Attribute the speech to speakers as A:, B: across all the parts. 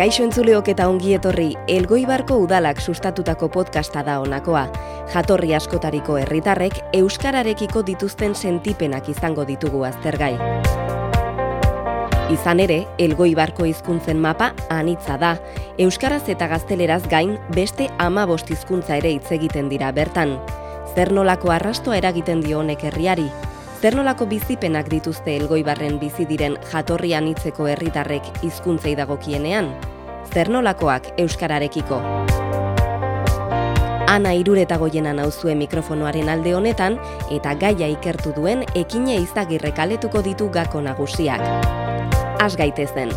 A: Kaixo entzuleok eta ongi etorri, Elgoibarko udalak sustatutako podcasta da honakoa. Jatorri askotariko herritarrek euskararekiko dituzten sentipenak izango ditugu aztergai. Izan ere, Elgoibarko hizkuntzen mapa anitza da. Euskaraz eta gazteleraz gain beste 15 hizkuntza ere hitz egiten dira bertan. Zer nolako arrastoa eragiten dio honek herriari? Zer nolako bizipenak dituzte Elgoibarren bizi diren jatorri anitzeko herritarrek hizkuntzei dagokienean? Zer nolakoak euskararekiko? Ana Iruretagoiena nauzue mikrofonoaren alde honetan eta gaia ikertu duen Ekine Izagirrek aletuko ditu gako nagusiak. Has gaitezen.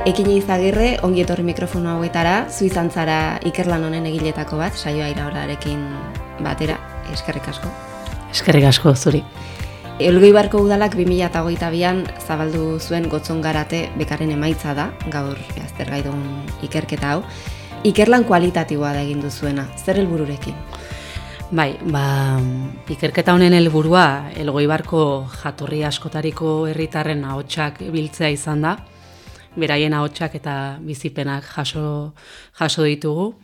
A: Ekine Izagirre, ongi etorri mikrofono hauetara, zu izan zara ikerlan honen egiletako bat, saioa iraurarekin batera, eskerrik asko.
B: Eskerrik asko zuri.
A: Elgoibarko udalak 2022an zabaldu zuen Gotzon Garate bekaren emaitza da, gaur aztergai dugun ikerketa hau. Ikerlan kualitatiboa da egin duzuena, zer helbururekin?
B: Bai, ikerketa honen helburua Elgoibarko jatorri askotariko herritarren ahotsak biltzea izan da. Beraien ahotsak eta bizipenak jaso ditugu.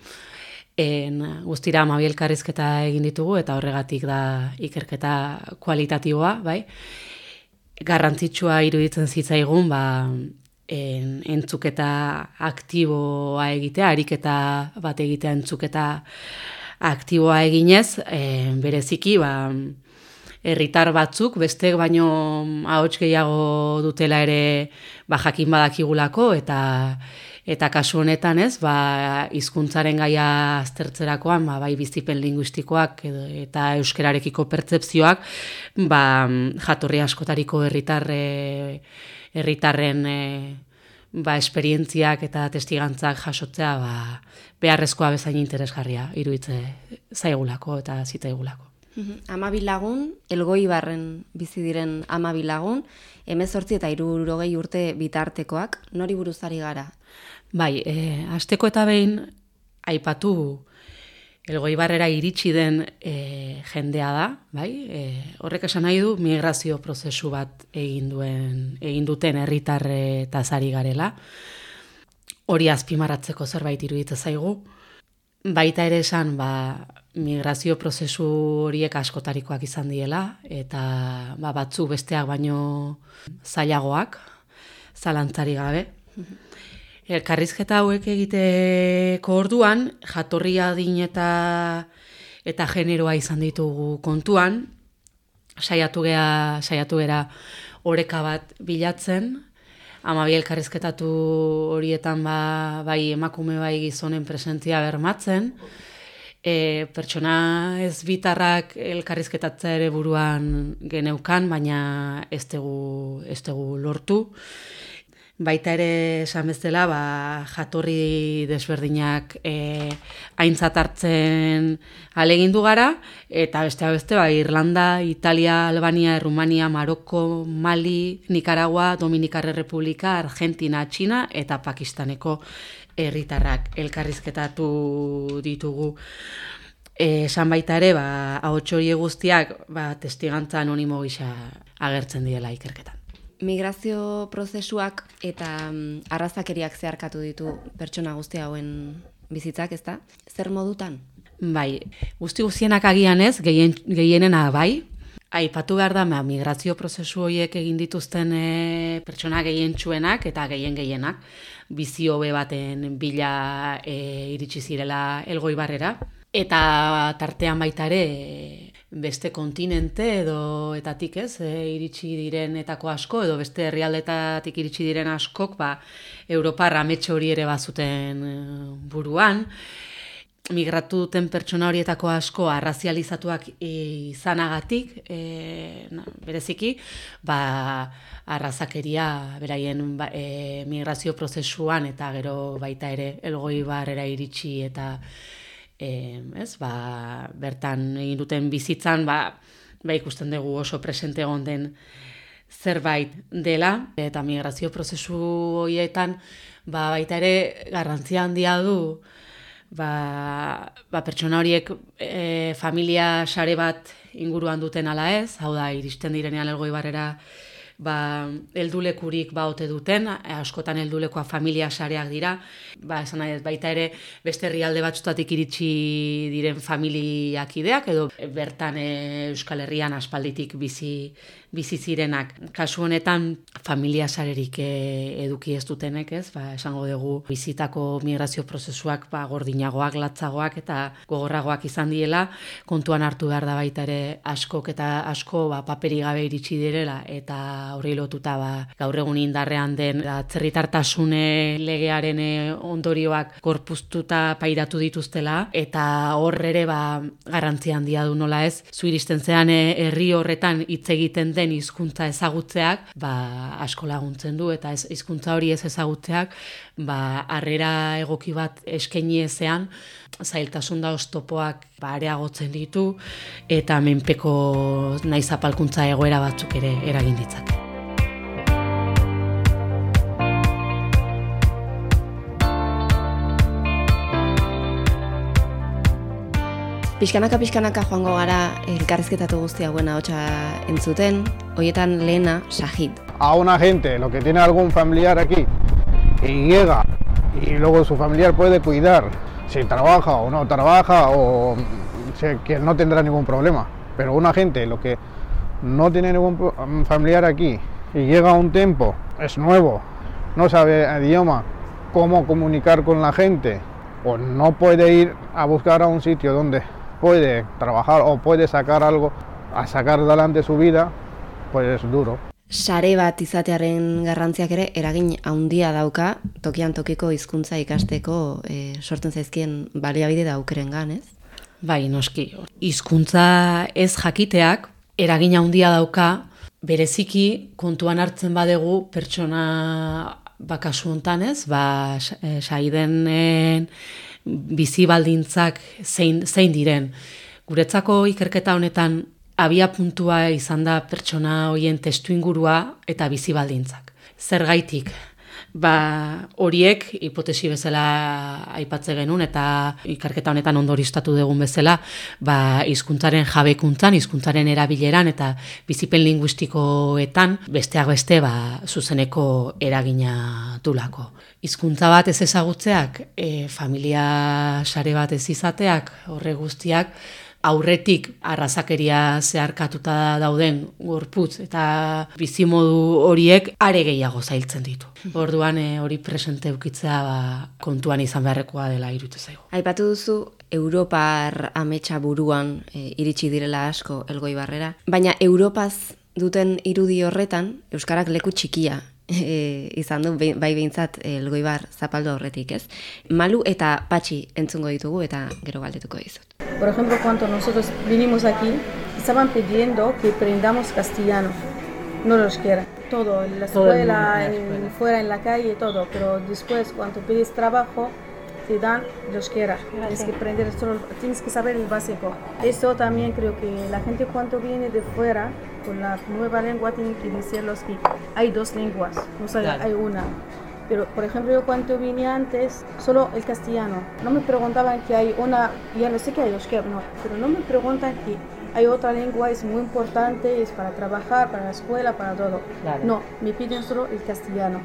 B: Guztira 12 elkarrizketa egin ditugu eta horregatik da ikerketa kualitatiboa, bai. Garrantzitsua iruditzen zitzaigun, entzuketa aktiboa egitea, ariketa bat egitea entzuketa aktiboa eginez, bereziki, herritar batzuk, beste baino ahots gehiago dutela ere jakin badakigulako eta kasu honetan hizkuntzaren gaia aztertzerakoan, bai bizipen linguistikoak eta euskararekiko pertzepzioak, jatorri askotariko herritarren esperientziak eta testigantzak jasotzea beharrezkoa bezain interesgarria iruditze zaigulako eta zitzaigulako.
A: 12 lagun, Elgoibarren bizi diren 12 lagun, 18 eta 60 urte bitartekoak, nori buruz ari gara?
B: Bai, hasteko eta behin aipatu Elgoibarrera iritsi den jendea da, bai? Horrek esan nahi du migrazio prozesu bat egin duten herritarretaz ari garela. Hori azpimarratzeko zerbait iruditzen zaigu. Baita ere esan, migrazio prozesu horiek askotarikoak izan diela, eta batzuk besteak baino zailagoak, zalantzari gabe. Elkarrizketa hauek egiteko orduan, jatorri adin eta generoa izan ditugu kontuan, saiatu gera oreka bat bilatzen, 12 elkarrizketatu horietan bai emakume bai gizonen presentzia bermatzen, pertsona ez bitarrak elkarrizketatzea ere buruan geneukan, baina ez dugu lortu. Baita ere esan bezala, jatorri desberdinak aintzat hartzen ahalegindu gara, eta besteak beste, Irlanda, Italia, Albania, Errumania, Maroko, Mali, Nicaragua, Dominikar Errepublika, Argentina, Txina eta Pakistaneko herritarrak elkarrizketatu ditugu. Esan baita ere, ahots horiek guztiak testigantza anonimo gisa agertzen direla ikerketan.
A: Migrazio prozesuak eta arrazakeriak zeharkatu ditu pertsona guzti hauen bizitzak, ezta? Zer modutan?
B: Bai, guztienak agian ez, gehienena bai. Aipatu behar da, migrazio prozesu horiek egin dituzten pertsona gehientsuenak eta gehienak bizi hobe baten bila iritsi zirela Elgoibarrera. Eta tartean baita ere beste kontinente edo etatik iritsi direnetako asko edo beste herrialdetatik iritsi diren askok Europar ametxe hori ere bazuten buruan. Migratu duten pertsona horietako asko arrazializatuak izanagatik, bereziki, arrazakeria beraien migrazio prozesuan eta gero baita ere Elgoibarrera iritsi eta bertan egin duten bizitzan, ikusten dugu oso presente egon den zerbait dela, eta migrazio prozesu horietan baita ere garrantzia handia du pertsona horiek familia sare bat inguruan duten ala ez, hau da, iristen direnean Elgoibarrera heldulekurik ote duten, askotan heldulekoa familia sareak dira, esan nahi ez, baita ere beste herrialde batzutatik iritsi diren familiakideak, edo bertan Euskal Herrian aspalditik bizi zirenak. Kasu honetan familia sarerik eduki ez dutenek, ez? Esango dugu bizitako migrazio prozesuak gordinagoak, latzagoak eta gogorragoak izan diela, kontuan hartu behar da baita ere asko paperi gabe iritsi direla eta horri lotuta gaur egun indarrean den atzerritartasune legearen ondorioak gorpuztuta pairatu dituztela eta hor ere garrantzia handia du nola ez, zu iristen zean herri horretan hitz egiten den hizkuntza ezagutzeak asko laguntzen du eta hizkuntza hori ez ezagutzeak harrera egoki bat eskaini ezean zailtasun da oztopoak areagotzen ditu eta menpeko nahi zapalkuntza egoera batzuk ere eragin ditzake.
A: Pixkanaka joango gara elkarrizketatu guzti hauen ahotsa entzuten, hoietan lehena Shahid.
C: A una gente, lo que tiene algún familiar aquí, y llega, y luego su familiar puede cuidar, si trabaja o no trabaja, o que no tendrá ningún problema. Pero una gente, lo que no tiene ningún familiar aquí, y llega a un tiempo, es nuevo, no sabe el idioma, cómo comunicar con la gente, o no puede ir a buscar a un sitio donde puede trabajar o puede sacar algo, a sacar adelante su vida, pues es duro.
A: Sare bat izatearen garrantziak ere eragin handia dauka tokian tokiko hizkuntza ikasteko sortzen zaizkien baliabide da aukerengan, ez?
B: Bai, noski. Hizkuntza ez jakiteak eragin handia dauka bereziki kontuan hartzen badegu pertsona kasu hontan, ez? Saidenen bizi baldintzak zein diren. Guretzako ikerketa honetan abia puntua izan da pertsona hoien testuingurua eta bizi baldintzak. Zergaitik? Horiek hipotesi bezala aipatze genuen eta ikerketa honetan ondorioztatu dugun bezala, hizkuntzaren jabekuntzan, hizkuntzaren erabileran eta bizipen linguistikoetan besteak beste zuzeneko eragina dulako. Hizkuntza bat ez ezagutzeak, familia sare bat ez izateak, horre guztiak, aurretik arrazakeria zeharkatuta dauden gorputz eta bizimodu horiek are gehiago zailtzen ditu. Orduan hori presente eukitzea kontuan izan beharrekoa dela iruditzen zaigu.
A: Aipatu duzu Europar ametsa buruan iritsi direla asko Elgoibarrera, baina Europaz duten irudi horretan euskarak leku txikia izan du bai behintzat Elgoibar zapaldu horretik, ez? Malu eta Patxi entzungo ditugu eta gero galdetuko dizut.
D: Por ejemplo, cuando nosotros vinimos aquí, estaban pidiendo que aprendamos castellano, no los quiera. Todo, en la escuela, fuera en la calle, todo. Pero después, cuando pides trabajo, te dan los quiera. Tienes que aprender, tienes que saber el básico. Eso también creo que la gente cuando viene de fuera, con la nueva lengua, tiene que decirlos que hay dos lenguas, no solo hay una. Pero, por ejemplo, yo cuando vine antes, solo el castellano. No me preguntaban que hay una, ya no sé qué hay euskera, no, pero no me preguntan que hay otra lengua, es muy importante, es para trabajar, para la escuela, para todo. Claro. No, me piden solo el castellano.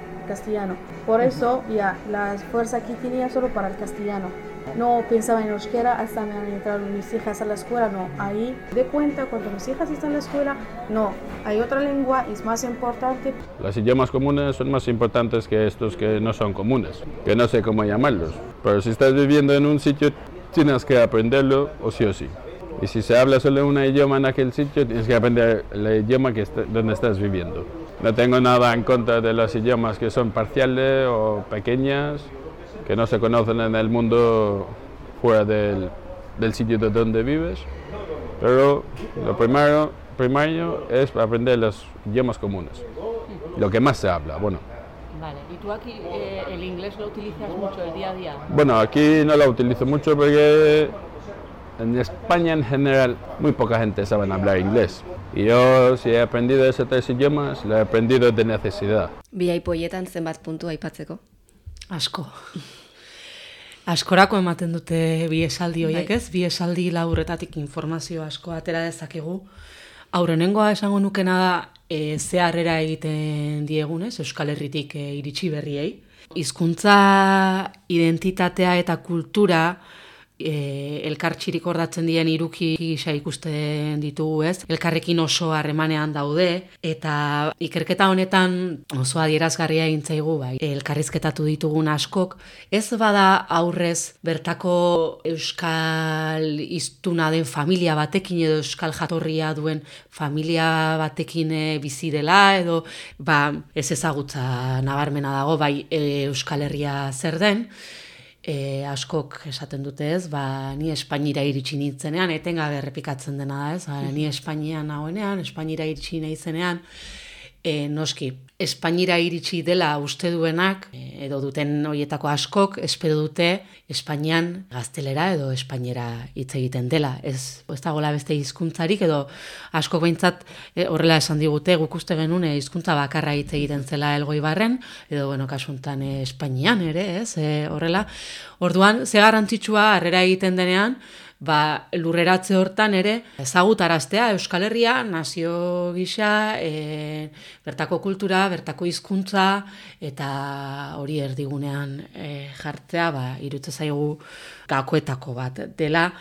D: Por eso, ya, la fuerza que tenía solo para el castellano. No pensaba en euskera hasta me han entrado mis hijas a la escuela, no. Ahí de cuenta, cuando mis hijas están en la escuela, no. Hay otra lengua, es más importante.
E: Los idiomas comunes son más importantes que estos que no son comunes, que no sé cómo llamarlos. Pero si estás viviendo en un sitio, tienes que aprenderlo o sí. Y si se habla solo un idioma en aquel sitio, tienes que aprender el idioma donde estás viviendo. No tengo nada en contra de los idiomas que son parciales o pequeñas, que no se conocen en el mundo fuera del sitio de donde vives, pero lo primario es aprender los idiomas comunes, lo que más se habla, bueno.
B: Vale, ¿y tú aquí el inglés lo utilizas mucho el día a día?
E: Bueno, aquí no lo utilizo mucho porque en España en general muy poca gente sabe hablar inglés. Y yo, si he aprendido esos tres idiomas, lo he aprendido de necesidad.
A: Bi aipoietan zenbat puntu aipatzeko?
B: Asko. Askorako ematen dute bi esaldi horiek, ez? Bi esaldi laburretatik informazio asko atera dezakegu. Aurrenengoa esango nukena da, ze harrera egiten diegunez, Euskal Herritik iritsi berriei. Hizkuntza, identitatea eta kultura elkartxirik ordatzen dien hiruki gisa ikusten ditugu, ez? Elkarrekin oso harremanean daude eta ikerketa honetan oso adierazgarria egin zaigu, bai. Elkarrizketatu ditugun askok, ez bada aurrez bertako euskal hiztuna den familia batekin edo euskal jatorria duen familia batekin bizi dela edo ez ezagutza nabarmena dago, bai Euskal Herria zer den. Askok esaten dute, ez, ni Espainira iritsi nintzenean, etengabe errepikatzen dena da, ez, ni Espainian nagoenean, Espainira iritsi naizenean, noski, Espainira iritsi dela uste duenak, edo duten horietako askok, espero dute Espainian gaztelera edo espainera hitz egiten dela. Ez dagoela beste hizkuntzarik, edo askok behintzat horrela esan digute, guk uste genuen hizkuntza bakarra hitz egiten zela Elgoibarren, edo kasuntan Espainian ere, ez, horrela. Orduan, ze garrantzitsua harrera egiten denean, lurreratze hortan ere ezagutaraztea Euskal Herria, nazio gisa, bertako kultura, bertako hizkuntza eta hori erdigunean jartzea, iruditzen zaigu gakoetako bat dela.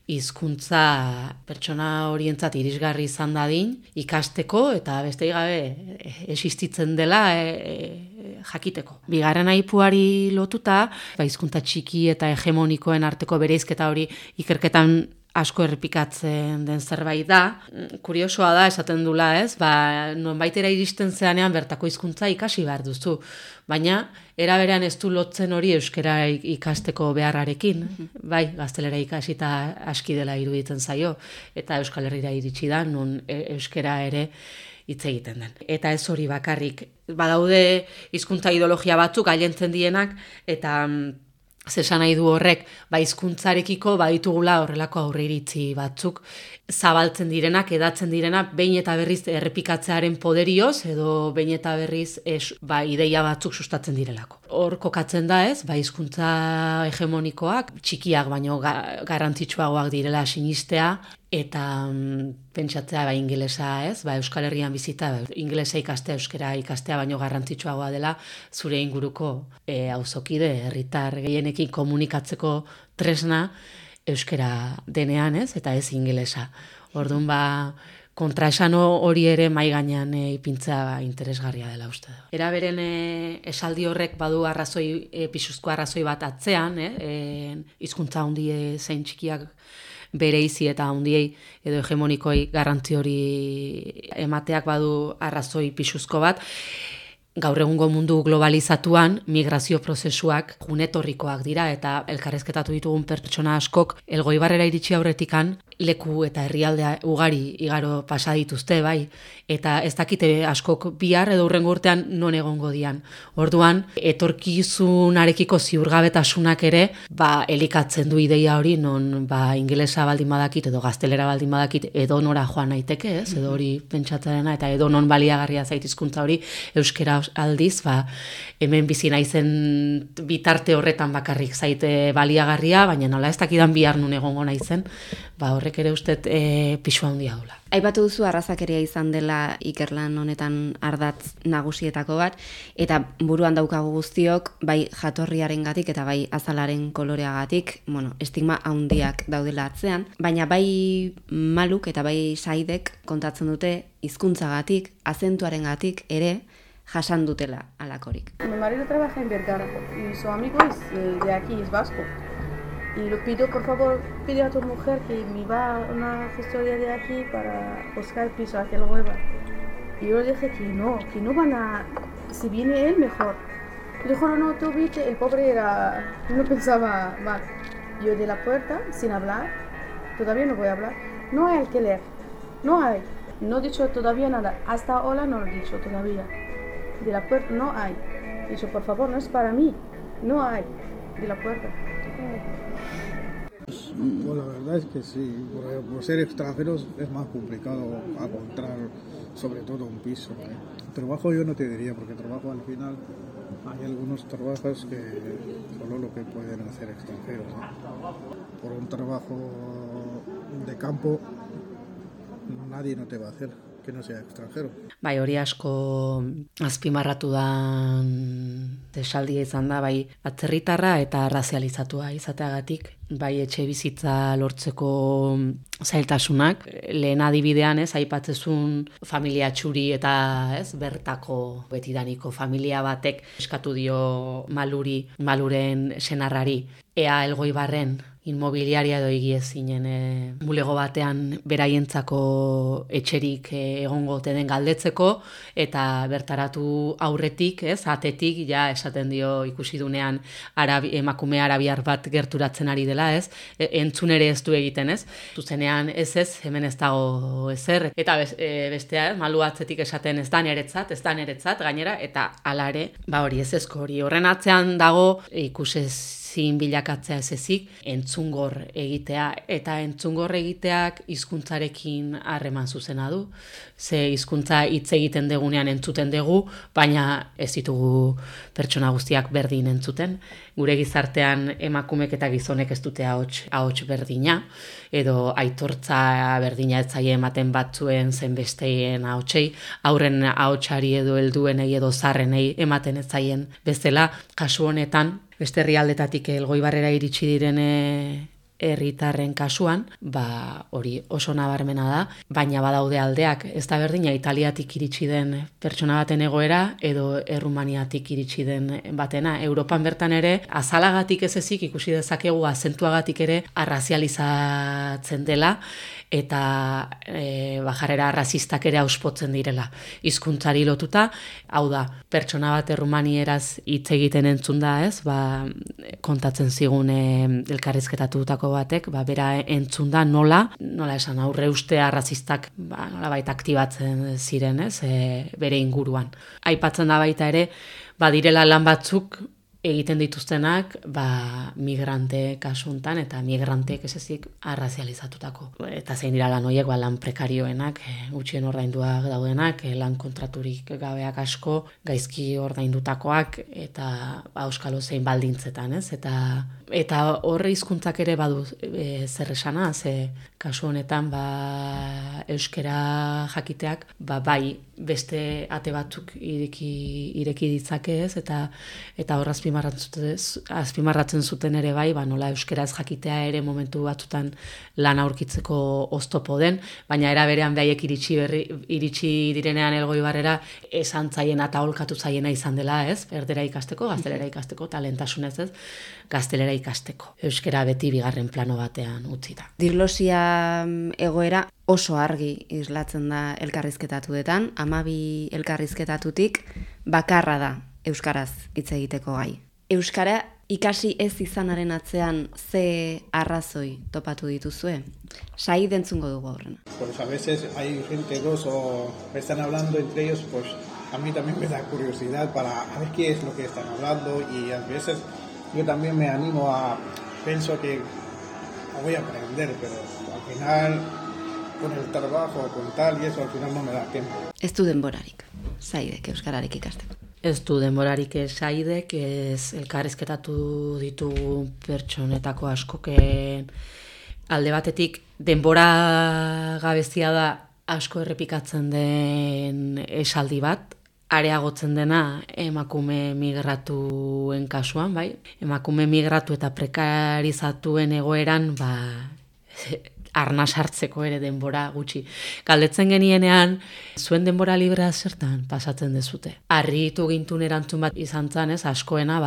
B: Hizkuntza pertsona horientzat irisgarri izan dadin, ikasteko eta besterik gabe existitzen dela jakiteko. Bigarren aipuari lotuta, hizkuntza txiki eta hegemonikoen arteko bereizketa hori ikerketan asko errepikatzen den zerbait da. Kuriosoa da, esaten dula, ez? Nonbaitera iristen zeanean bertako hizkuntza ikasi behar duzu. Baina, era berean ez du lotzen hori euskara ikasteko beharrarekin. Gaztelera ikasi eta aski dela iruditzen zaio. Eta Euskal Herrira iritsi da, non euskara ere hitz egiten den. Eta ez hori bakarrik. Badaude hizkuntza ideologia batzuk gailentzen dienak, eta zesan nahi du horrek, hizkuntzarekiko baditugula horrelako aurreiritzi batzuk zabaltzen direnak, edatzen direnak, behin eta berriz errepikatzearen poderioz, edo behin eta berriz ideia batzuk sustatzen direlako. Hor kokatzen da, ez, hizkuntza hegemonikoak, txikiak baino garrantzitsuagoak direla sinistea, eta pentsatzea ingelesa, ez, Euskal Herrian bizita, ingelesa ikastea, euskara ikastea baino garrantzitsuagoa dela zure inguruko auzokide, herritar gehienekin komunikatzeko tresna euskara denean, ez, eta ez ingelesa. Orduan kontraesan hori ere mahai gainean ipintza interesgarria dela uste da. Era beren esaldi horrek badu pisuzko arrazoi bat atzean, hizkuntza handie zein txikiak bereizi eta handiei edo hegemonikoi garrantzi hori emateak badu arrazoi pisuzko bat. Gaur egungo mundu globalizatuan migrazio prozesuak junetorrikoak dira eta elkarrezketatu ditugun pertsona askok Elgoibarrera iritsi aurretikan leku eta herrialdea ugari igaro pasa dituzte, eta ez dakite askok bihar edo hurrengo urtean non egongo dian. Orduan, etorkizunarekiko ziurgabetasunak ere, elikatzen du ideia hori, non ingelesa baldin badakit edo gaztelera baldin badakit edo nora joan naiteke, ez, edo hori pentsatzearena, eta edo non baliagarria zait hizkuntza hori, euskera aldiz, hemen bizi naizen bitarte horretan bakarrik zaite baliagarria, baina nola ez dakidan bihar nun egongo naizen, horrek ere ustet pisu handia dula.
A: Aipatu duzu arrazakeria izan dela ikerlan honetan ardatz nagusietako bat, eta buruan daukagu guztiok, jatorriarengatik eta azalaren koloreagatik, estigma handiak daudela atzean, baina Maluk eta Saidek kontatzen dute hizkuntzagatik, azentuarengatik ere jasan dutela alakorik.
D: Mi marido trabaja en Vergara y su amigo es de aquí, es vasco. Y lo pido, por favor, pide a tu mujer que me va a una gestoría de aquí para buscar el piso hacia el Hueva. Y yo le dije que no van a... Si viene él, mejor. Y dijo, no, tú viste, el pobre no pensaba mal. Yo de la puerta, sin hablar, todavía no voy a hablar. No hay alquiler, no hay. No he dicho todavía nada, hasta ahora no lo he dicho todavía. De la puerta no hay. He dicho, por favor, no es para mí, no hay. De la puerta.
C: Bueno, la verdad es que sí, por ser extranjeros es más complicado encontrar sobre todo un piso. Trabajo yo no te diría, porque trabajo al final hay algunos trabajos que solo lo que pueden hacer extranjeros, ¿no? Por un trabajo de campo nadie no te va a hacer que no sea extranjero.
B: Bai, hori asko azpimarratu da esaldia izan da, bai, atzerritarra eta razializatua izateagatik, bai etxe bizitza lortzeko zailtasunak. Lehen adibidean, aipatzezun familia txuri eta bertako betidaniko familia batek eskatu dio Maluren senarrari, ea Elgoibarren inmobiliaria edo egiezinen bulego batean beraientzako etxerik egongo ote den galdetzeko, eta bertaratu aurretik, atetik, ja esaten dio ikusi dunean emakume arabiar bat gerturatzen ari dela, entzun ere ez du egiten, zuzenean ez, hemen ez dago ezer, eta bestea, malu atzetik esaten ez da niretzat, gainera, eta hala ere, hori ez ezko hori, horren atzean dago ikusezin bilakatzea ez ezik, entzungor egitea, eta entzungor egiteak hizkuntzarekin harreman zuzena du. Ze hizkuntza hitz egiten degunean entzuten dugu, baina ez ditugu pertsona guztiak berdin entzuten. Gure gizartean emakumek eta gizonek ez dute ahots berdina, edo aitortza berdina ez zaie ematen batzuen zen besteien ahotsei, aurren ahotsari edo helduenei edo zarrenei ematen ez zaien bezala. Kasu honetan, beste herrialdetatik Elgoibarrera iritsi diren herritarren kasuan, hori oso nabarmena da, baina badaude aldeak, ez da berdina Italiatik iritsi den pertsona baten egoera edo Errumaniatik iritsi den batena. Europan bertan ere, azalagatik ez ezik ikusi dezakegu azentuagatik ere arrazializatzen dela, eta jarrera arrazistak ere auspotzen direla hizkuntzari lotuta. Hau da, pertsona bat errumanieraz hitz egiten entzun da, kontatzen zigun elkarrizketatutako batek, bera entzun da nola esan aurre uste arrazistak nolabait aktibatzen ziren, bere inguruan. Aipatzen da baita ere, direla lan batzuk egiten dituztenak migrante kasuntan, eta migranteek ez ezik arrazializatutako. Eta zein dira lan horiek, lan prekarioenak, gutxien ordainduak daudenak, lan kontraturik gabeak asko, gaizki ordaindutakoak, eta auskalo zein baldintzetan, eta horre hizkuntzak ere badu zer esana, ze kasu honetan euskera jakiteak, bai beste ate batzuk ireki ditzake, eta horra azpimarratzen zuten ere bai, nola euskaraz jakitea ere momentu batzutan lan aurkitzeko oztopo den, baina era berean behaiek iritsi direnean Elgoibarrera esan zaiena eta holkatu zaiena izan dela, erdera ikasteko, gaztelera ikasteko, talentasunez gaztelera ikasteko. Euskara beti bigarren plano batean utzita.
A: Diglosia egoera oso argi islatzen da elkarrizketatuetan, 12 elkarrizketatutik bakarra da euskaraz hitz egiteko gai. Euskara ikasi ez izanaren atzean ze arrazoi topatu dituzue? Said entzungo dugu horren.
C: Pues a veces hay gente dos o están hablando entre ellos, pues a mí también me da curiosidad para a ver qué es lo que están hablando, y a veces yo también me animo pienso que voy a aprender, pero al final con el trabajo, con tal y eso, al final no me da tiempo.
A: Ez du denborarik, Saidek euskararik ikasteko.
B: Ez du denborarik Saidek, ez elkarrizketatu ditugu pertsonetako askoken alde batetik denbora gabezia da asko errepikatzen den esaldi bat, areagotzen dena emakume migratuen kasuan, bai? Emakume migratu eta prekarizatuen egoeran, arnas hartzeko ere denbora gutxi. Galdetzen genienean, zuen denbora librea zertan pasatzen dezute. Harritu gintun erantzun bat izan zan, askoena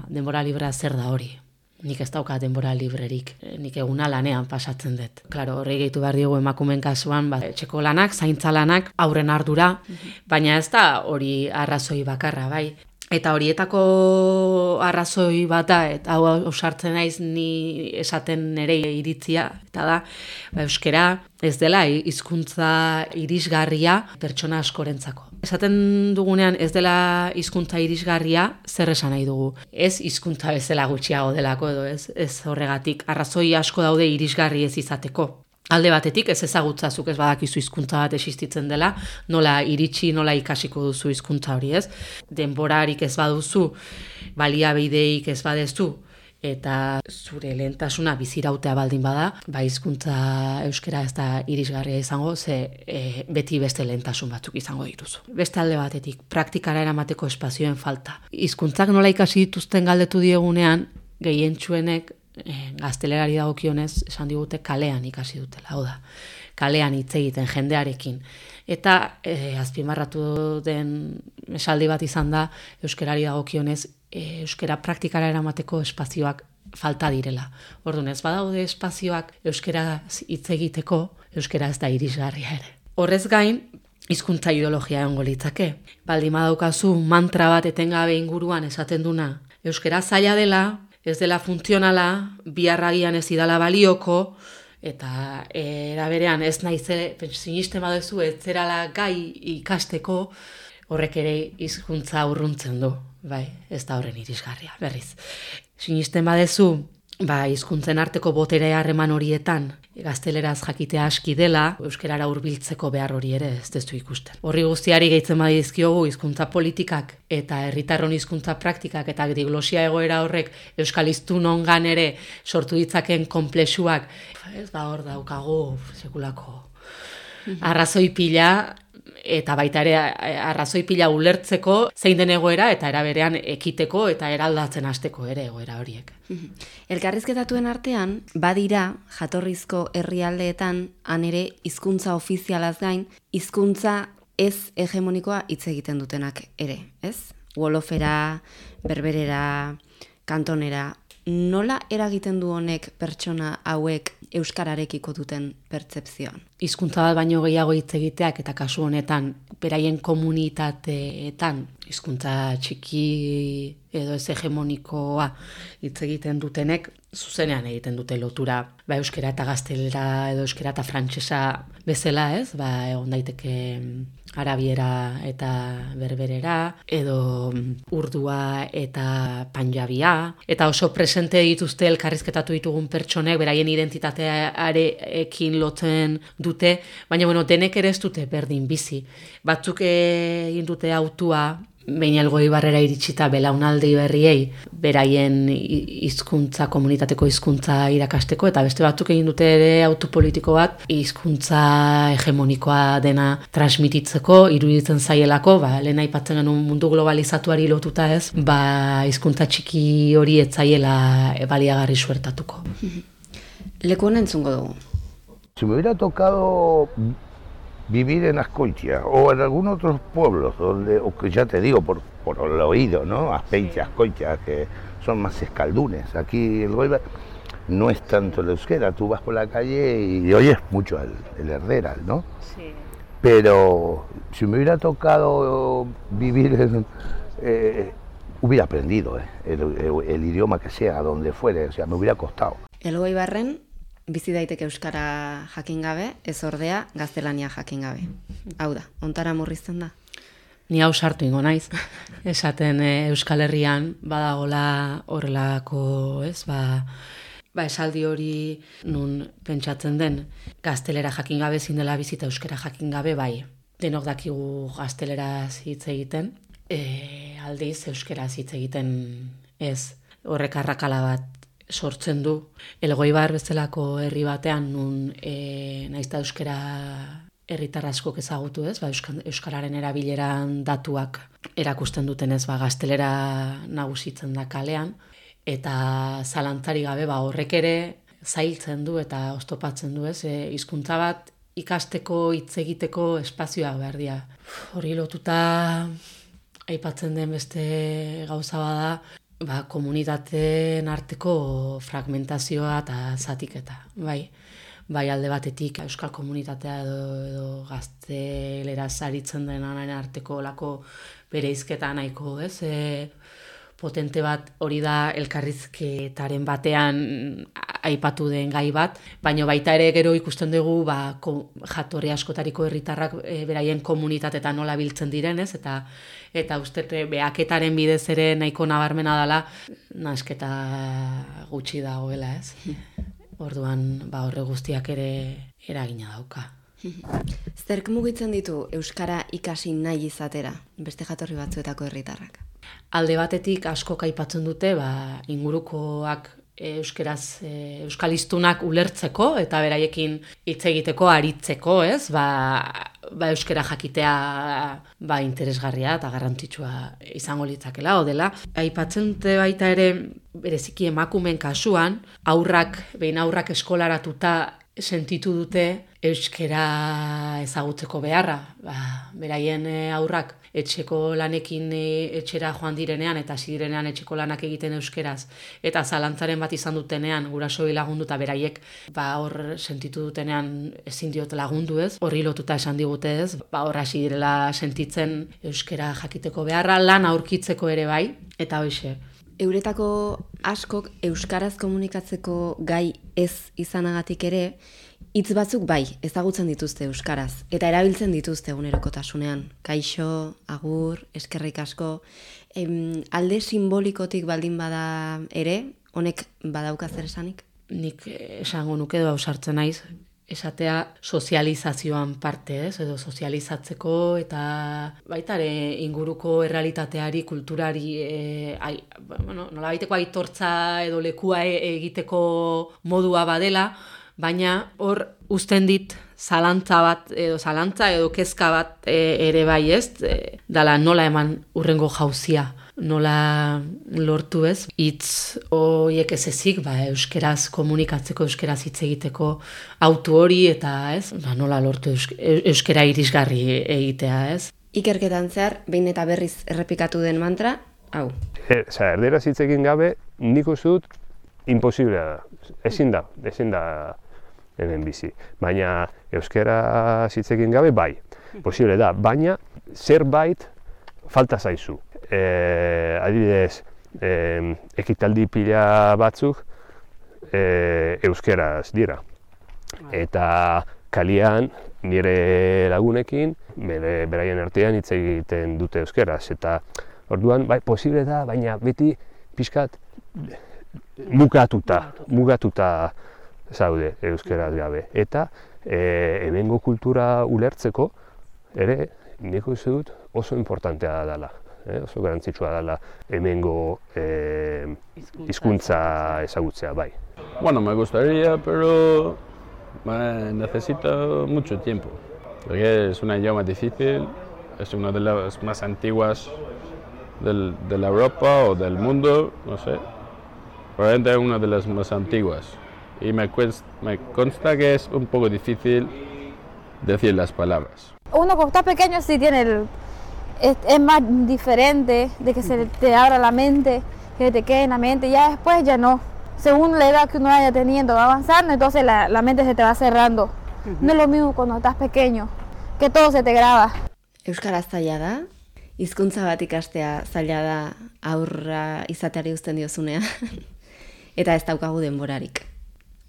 B: denbora librea zer da hori. Nik ez dauka denbora librerik, nik eguna lanean pasatzen dut. Klaro, horri gehitu behar diogu emakumeen kasuan, etxeko lanak, zaintza lanak, aurren ardura, baina ez da hori arrazoi bakarra, bai. Eta horietako arrazoi bat da, eta hau ausartzen naiz ni esaten nire iritzia, eta da, euskara ez dela hizkuntza irisgarria pertsona askorentzako. Esaten dugunean ez dela hizkuntza irisgarria, zer esan nahi dugu. Ez hizkuntza bezala gutxiago delako edo ez horregatik. Arrazoi asko daude irisgarri ez izateko. Alde batetik ez ezagutzazuk ez badakizu hizkuntza bat existitzen dela, nola iritsi, nola ikasiko duzu hizkuntza hori, ez? Denborarik ez baduzu, baliabideik ez badezu, eta zure lehentasuna bizirautea baldin bada, hizkuntza euskara ez da irisgarria izango, ze beti beste lehentasun batzuk izango dituzu. Beste alde batetik, praktikara eramateko espazioen falta. Hizkuntzak nola ikasi dituzten galdetu diegunean, gehientsuenek gaztelerari dagokionez esan digute kalean ikasi dutela, hau da, kalean hitz egiten jendearekin. Eta azpimarratu den esaldi bat izan da, euskarari dagokionez, euskara praktikara eramateko espazioak falta direla. Orduan ez badaude espazioak euskaraz hitz egiteko, euskara ez da irisgarria ere. Horrez gain, hizkuntza ideologia egongo litzake. Baldin badaukazu mantra bat etengabe inguruan esaten duna, euskara zaila dela, ez dela funtzionala, biharragian ez idala balioko, eta era berean ez naizela, sinisten baduzu ez zerala gai ikasteko, horrek ere hizkuntza urruntzen du, bai, ez da horren irisgarria, berriz. Sinisten baduzu, hizkuntzen arteko botere harreman horietan, gazteleraz jakitea aski dela, euskarara hurbiltzeko behar hori ere ez dezu ikusten. Horri guztiari gehitzen badizkiogu hizkuntza politikak eta herritarron hizkuntza praktikak eta diglosia egoera horrek euskal hiztunongan ere sortu ditzaken konplexuak, ez hor daukagu sekulako arrazoi pila, eta baita ere arrazoi pila ulertzeko zein den egoera eta eraberean ekiteko eta eraldatzen hasteko ere egoera horiek.
A: Elkarrizketatuen artean, badira jatorrizko herrialdeetan han ere hizkuntza ofizialaz gain, hizkuntza ez hegemonikoa hitz egiten dutenak ere, ez? Wolofera, berberera, kantonera, nola eragiten du honek pertsona hauek euskararekiko duten pertzepzioan?
B: Hizkuntza bat baino gehiago hitz egiteak eta kasu honetan beraien komunitateetan hizkuntza txiki edo ez hegemonikoa hitz egiten dutenek zuzenean egiten dute lotura euskara eta gaztelera edo euskara eta frantsesa bezala, ez? Egon daiteke arabiera eta berberera, edo urdua eta panjabia, eta oso presente dituzte elkarrizketatu ditugun pertsonek beraien identitatearekin lotzen dute, baina denek ere ez dute berdin bizi. Batzuk egin dute autua, behin Elgoibarrera iritsita belaunaldi berriei, beraien hizkuntza, komunitateko hizkuntza irakasteko, eta beste batzuk egin dute ere autu politiko bat, hizkuntza hegemonikoa dena transmititzeko, iruditzen zaielako, lehen aipatzen genuen mundu globalizatuari lotuta ez, hizkuntza txiki hori ez zaiela baliagarri suertatuko.
A: Leku honen entzungo dugu.
F: Si me hubiera tocado vivir en Azkoitia o en algunos otros pueblos, o que ya te digo por el oído, ¿no? Azpeitia, Azkoitia, que son más escaldunes. Aquí el Goibar no es tanto el euskera, tú vas por la calle y oyes mucho el herderal, ¿no? Sí. Pero si me hubiera tocado vivir hubiera aprendido el idioma que sea, donde fuere, o sea, me hubiera costado.
A: Elgoibarren bizi daiteke euskara jakin gabe, ez ordea gaztelania jakin gabe. Hau da, ontara murrizten da?
B: Ni hau sartu ingo naiz. Esaten Euskal Herrian badagola horrelako, ez, esaldi hori nun pentsatzen den gaztelera jakin gabe ezin dela bizita euskara jakin gabe, bai. Denok dakigu gazteleraz hitz egiten, aldiz euskaraz hitz egiten ez. Horrek arrakala bat sortzen du. Elgoibar bezalako herri batean nun naizta euskara herritar askok ezagutu ez, euskararen erabileran datuak erakusten dutenez, gaztelera nagusitzen da kalean, eta zalantzari gabe horrek ere zailtzen du eta oztopatzen du ez, hizkuntza bat ikasteko, hitz egiteko espazioa behar dira. Hori lotuta aipatzen den beste gauza bada, komunitateen arteko fragmentazioa eta zatiketa, bai alde batetik euskal komunitatea edo gaztelera zaritzen denaren arteko lako bereizketa nahiko, ez? Potente bat hori da elkarrizketaren batean aipatu den gai bat, baina baita ere gero ikusten dugu jatorri askotariko herritarrak beraien komunitatetan nola biltzen diren, ez? Eta uste behaketaren bidez ere nahiko nabarmena dela nasketa gutxi dagoela, ez? Orduan horre guztiak ere eragina dauka.
A: Zerk mugitzen ditu euskara ikasi nahi izatera, beste jatorri batzuetako herritarrak?
B: Alde batetik askok aipatzen dute ingurukoak euskal hiztunak ulertzeko eta beraiekin hitz egiteko aritzeko, ez? Euskara jakitea interesgarria eta garrantzitsua izango litzakela dela. Aipatzen dute baita ere bereziki emakumeen kasuan, behin aurrak eskolaratuta sentitu dute euskara ezagutzeko beharra. Beraien aurrak etxeko lanekin etxera joan direnean eta hasi direnean etxeko lanak egiten euskeraz eta zalantzaren bat izan dutenean gurasoei lagundu eta beraiek hor sentitu dutenean ezin diot lagundu, ez? Horri lotuta esan digute, ez? Hor hasi direla sentitzen euskara jakiteko beharra, lan aurkitzeko ere bai, eta hoixe.
A: Euretako askok euskaraz komunikatzeko gai ez izanagatik ere, hitz batzuk bai, ezagutzen dituzte euskaraz, eta erabiltzen dituzte egunerokotasunean. Kaixo, agur, eskerrik asko, alde simbolikotik baldin bada ere, honek badauka zer esanik?
B: Nik esango nuke edo ausartzen naiz, esatea sozializazioan parte, ez? Edo sozializatzeko eta baita ere inguruko errealitateari, kulturari, nolabaiteko aitortza edo lekua egiteko modua badela, baina hor uzten dit zalantza edo kezka bat ere bai, ez? Dala nola eman urrengo jauzia, nola lortu, ez? Hitz horiek ez ezik, euskeraz komunikatzeko, euskaraz hitz egiteko autu hori eta, ez? Nola lortu euskera irisgarri egitea, ez?
A: Ikerketan zehar, behin eta berriz errepikatu den mantra, hau.
G: Erderaz hitz egin gabe, nik uste dut imposiblea da. Ezin da hemen bizi. Baina euskara hitz egin gabe bai, posible da, baina zerbait falta zaizu. Adibidez, ekitaldi pila batzuk euskeraz dira. Eta kalian nire lagunekin beraien artean hitz egiten dute euskeraz. Eta orduan, bai, posible da, baina beti pixkat mugatuta zaude euskeraz gabe. Eta hemengo kultura ulertzeko ere nik uste dut oso importantea dela. Oso garrantzitsua dela hemengo hizkuntza ezagutzea, bai.
E: Bueno, me gustaría, pero necesito mucho tiempo. Porque es un idioma difícil, es una de las más antiguas de la Europa o del mundo, no sé. Probablemente es una de las más antiguas. Y me consta que es un poco difícil decir las palabras.
H: Uno cuando está pequeño sí tiene es más diferente de que se te abra la mente, que te quede en la mente, ya después ya no. Según la edad que uno vaya teniendo, va avanzando, entonces la mente se te va cerrando. No es lo mismo cuando estás pequeño, que todo se te graba.
A: Euskaraz zaila da, hizkuntza bat ikastea zaila da aurra izateari uzten diozunean, eta ez daukagu denborarik.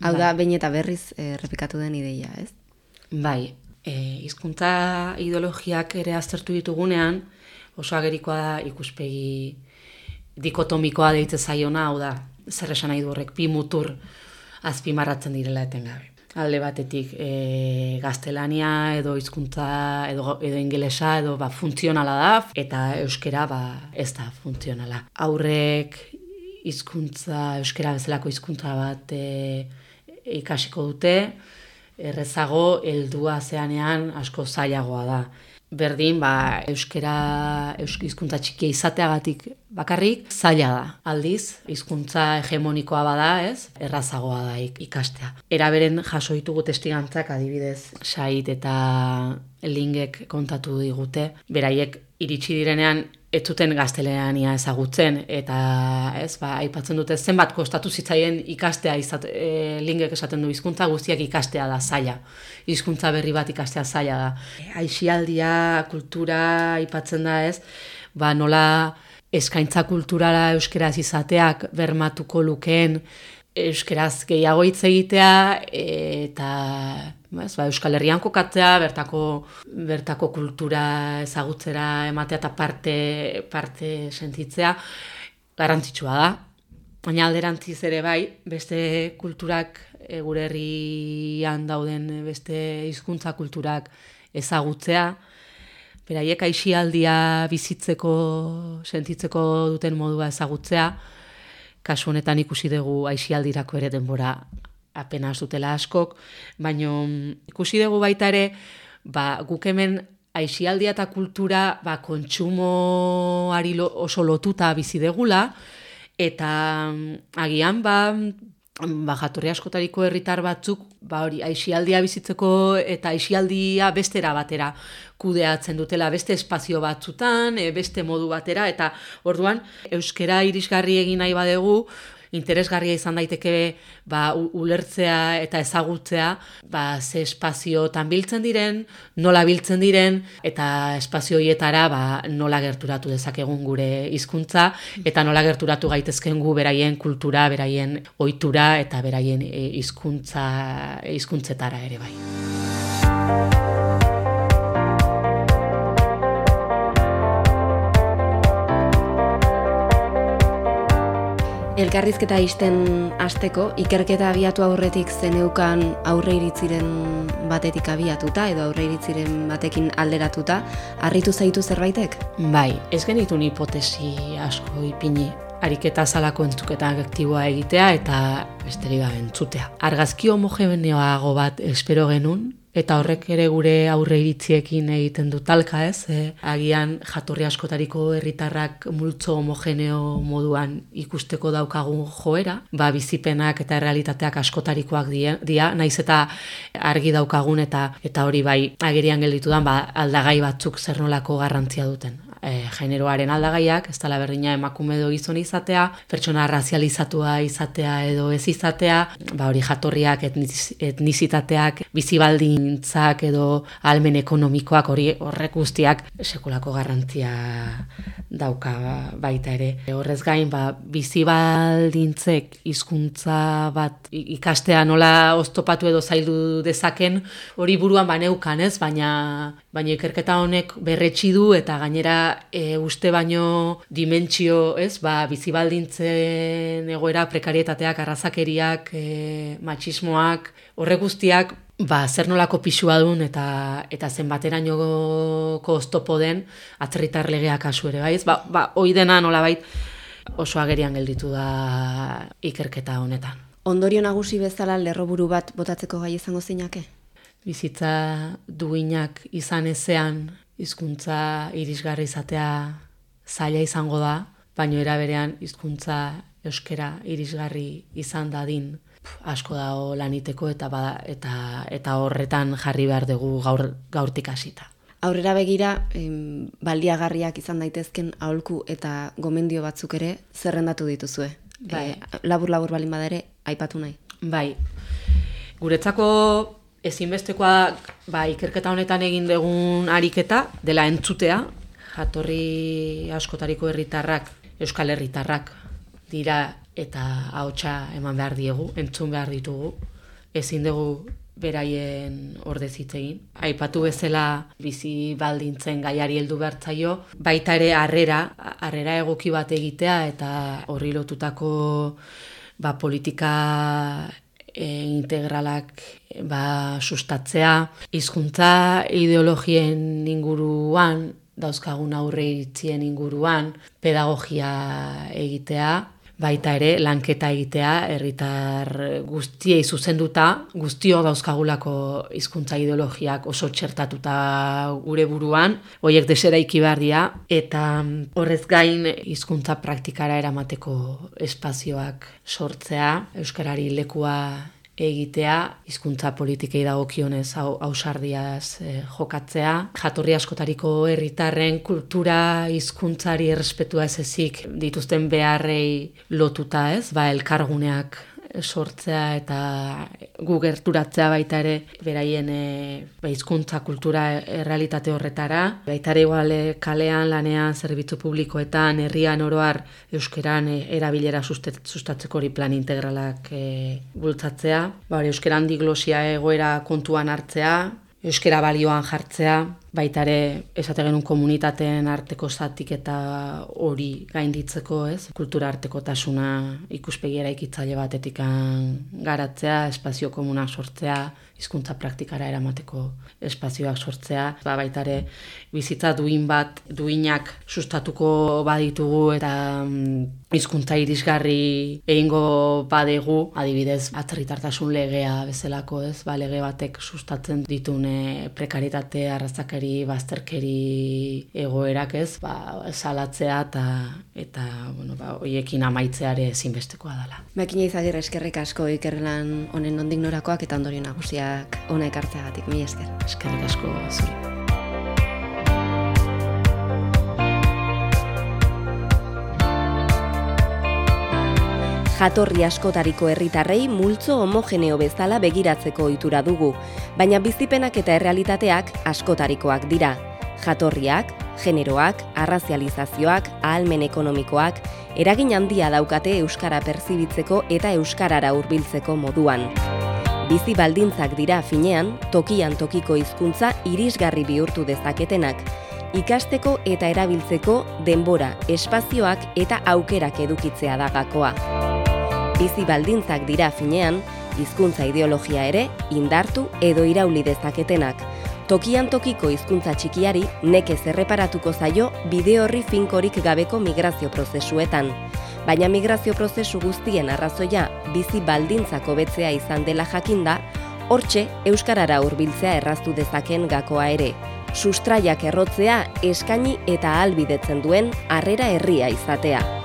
A: Hau da, behin eta berriz errepikatu den ideia, ez?
B: Bai, hizkuntza ideologiak ere aztertu ditugunean, oso agerikoa da ikuspegi dikotomikoa deitze zaiona, hau da, zer esan nahi du horrek, bi mutur azpimarratzen direla etengabe. Alde batetik gaztelania edo hizkuntza edo ingelesa edo funtzionala da, eta euskera ez da funtzionala. Aurrek euskera bezalako hizkuntza bat ikasiko dute, errezago heldua zeanean asko zailagoa da. Berdin, euskera hizkuntza txikia izateagatik bakarrik zaila da. Aldiz, hizkuntza hegemonikoa bada, ez? Errazagoa da ikastea. Eraberen jaso ditugu testigantzak, adibidez, Sait eta Lingek kontatu digute, beraiek iritsi direnean ez zuten gaztelania ezagutzen, eta aipatzen dute zenbat kostatu zitzaien ikastea, Lingek esaten du hizkuntza guztiak ikastea da zaila. Hizkuntza berri bat ikastea zaila da. Aisialdia, kultura aipatzen da, ez? Nola eskaintza kulturala euskeraz izateak bermatuko lukeen euskeraz gehiago hitz egitea, eta Euskal Herrian kokatzea, bertako kultura ezagutzera ematea eta parte sentitzea garrantzitsua da. Baina alderantziz ere bai, beste kulturak, gure herrian dauden beste hizkuntza kulturak ezagutzea, beraiek aisialdia bizitzeko, sentitzeko duten modua ezagutzea, kasu honetan ikusi dugu aisialdirako ere denbora apenas dutela askok, baina ikusi dugu baita ere, guk hemen aisialdia eta kultura kontsumoari oso lotuta bizi degula, eta agian jatorri askotariko herritar batzuk hori aisialdia bizitzeko eta aisialdia bestera batera kudeatzen dutela, beste espazio batzutan, beste modu batera, eta orduan euskara irisgarri egin nahi badegu, interesgarria izan daiteke ulertzea eta ezagutzea ze espaziotan biltzen diren, nola biltzen diren, eta espazio horietara nola gerturatu dezakegun gure hizkuntza eta nola gerturatu gaitezken gu beraien kultura, beraien ohitura eta beraien hizkuntzetara ere bai.
A: Elkarrizketa ixten hasteko, ikerketa abiatu aurretik zeneukan aurre iritziren batetik abiatuta edo aurre iritziren batekin alderatuta, harritu zaitu zerbaitek?
B: Bai, ez genitun hipotesi asko ipini. Ariketa zalako entzuketa aktiboa egitea eta besterik gabe entzutea. Argazki homogeneoago bat espero genuen, eta horrek ere gure aurre iritziekin egiten du talka, ez? Agian jatorri askotariko herritarrak multzo homogeneo moduan ikusteko daukagun joera, bizipenak eta errealitateak askotarikoak dira, naiz eta argi daukagun eta hori agerian gelditudan aldagai batzuk zer nolako garrantzia duten. Generoaren aldagaiak, ez dela berdina emakume edo gizon izatea, pertsona razializatua izatea edo ez izatea, hori jatorriak, etnizitateak, bizibaldintzak edo ahalmen ekonomikoak, horrek guztiak sekulako garrantzia dauka baita ere. Horrez gain, bizibaldintzek hizkuntza bat ikastea nola oztopatu edo zaildu dezaken, hori buruan baneukan, ez? Baina ikerketa honek berretsi du eta gainera uste baino dimentsio, ez, bizibaldintzen egoera, prekarietateak, arrazakeriak, matxismoak, horre guztiak, zer nolako pisua duen eta zenbaterainoko oztopo den atzerritar legea kasu ere, bai, ez? Hoi dena nolabait oso agerian gelditu da ikerketa honetan.
A: Ondorio nagusi bezala lerroburu bat botatzeko gai izango zeinake?
B: Bizitza duinak izan ezean, hizkuntza irisgarri izatea zaila izango da, baina era berean hizkuntza euskara irisgarri izan dadin asko dago laniteko eta horretan jarri behar dugu gaurtik hasita.
A: Aurrera begira, baldiagarriak izan daitezken aholku eta gomendio batzuk ere zerrendatu dituzue. Labur balin badere aipatu nahi.
B: Bai. Guretzako ezinbestekoa ikerketa honetan egin dugun ariketa dela entzutea, jatorri askotariko herritarrak, euskal herritarrak dira eta ahotsa eman behar diegu, entzun behar ditugu, ezin dugu beraien ordez hitz egin. Aipatu bezala bizi baldintzen gaiari heldu behartzaio, baita ere harrera egoki bat egitea eta horri lotutako politika integralak sustatzea, hizkuntza ideologien inguruan, dauzkagun aurre iritzien inguruan, pedagogia egitea, baita ere lanketa egitea, herritar guztiei zuzenduta, guztio dauzkagulako hizkuntza ideologiak oso txertatuta gure buruan, horiek deseraiki behar dira, eta horrez gain hizkuntza praktikara eramateko espazioak sortzea, euskarari lekua egitea, hizkuntza politikei dagokionez ausardiaz jokatzea, jatorri askotariko herritarren kultura hizkuntzari errespetua ez ezik dituzten beharrei lotuta, ez? Elkarguneak sortzea eta gu gerturatzea baita ere beraien hizkuntza kultura errealitate horretara, baita ere igual kalean, lanean, zerbitzu publikoetan, herrian oroar euskeran erabilera sustatzeko hori plan integralak bultzatzea, euskeran diglosia egoera kontuan hartzea, euskera balioan jartzea, baitare esate genuen komunitateen arteko zatiketa hori gainditzeko, ez? Kultura artekotasuna ikuspegi eraikitzaile batetik garatzea, espazio komunak sortzea, hizkuntza praktikara eramateko espazioak sortzea, baitare bizitza duinak sustatuko baditugu eta hizkuntza irisgarri egingo badegu, adibidez, atzerritartasun legea bezalako, ez? Lege batek sustatzen ditune prekaritate, arrazakeri, bazterkeri egoerak, ez? Salatzea eta hoiekin amaitzeare ezinbestekoa dela.
A: Makina Izagirre, eskerrik asko ikerlan honen nondik norakoak eta ondorio nagusiak hona ekartzeagatik. Mila esker.
B: Eskerrik asko zuri.
A: Jatorri askotariko herritarrei multzo homogeneo bezala begiratzeko ohitura dugu, baina bizipenak eta errealitateak askotarikoak dira. Jatorriak, generoak, arrazializazioak, ahalmen ekonomikoak, eragin handia daukate euskara perzibitzeko eta euskarara hurbiltzeko moduan. Bizi baldintzak dira finean, tokian tokiko hizkuntza irisgarri bihurtu dezaketenak, ikasteko eta erabiltzeko denbora, espazioak eta aukerak edukitzea da gakoa. Bizi baldintzak dira finean, hizkuntza ideologia ere indartu edo irauli dezaketenak. Tokian tokiko hizkuntza txikiari nekez erreparatuko zaio bide horri finkorik gabeko migrazio prozesuetan. Baina migrazio prozesu guztien arrazoia bizi baldintzak hobetzea izan dela jakinda, hortxe euskarara hurbiltzea erraztu dezaken gakoa ere. Sustraiak errotzea eskaini eta ahalbidetzen duen harrera herria izatea.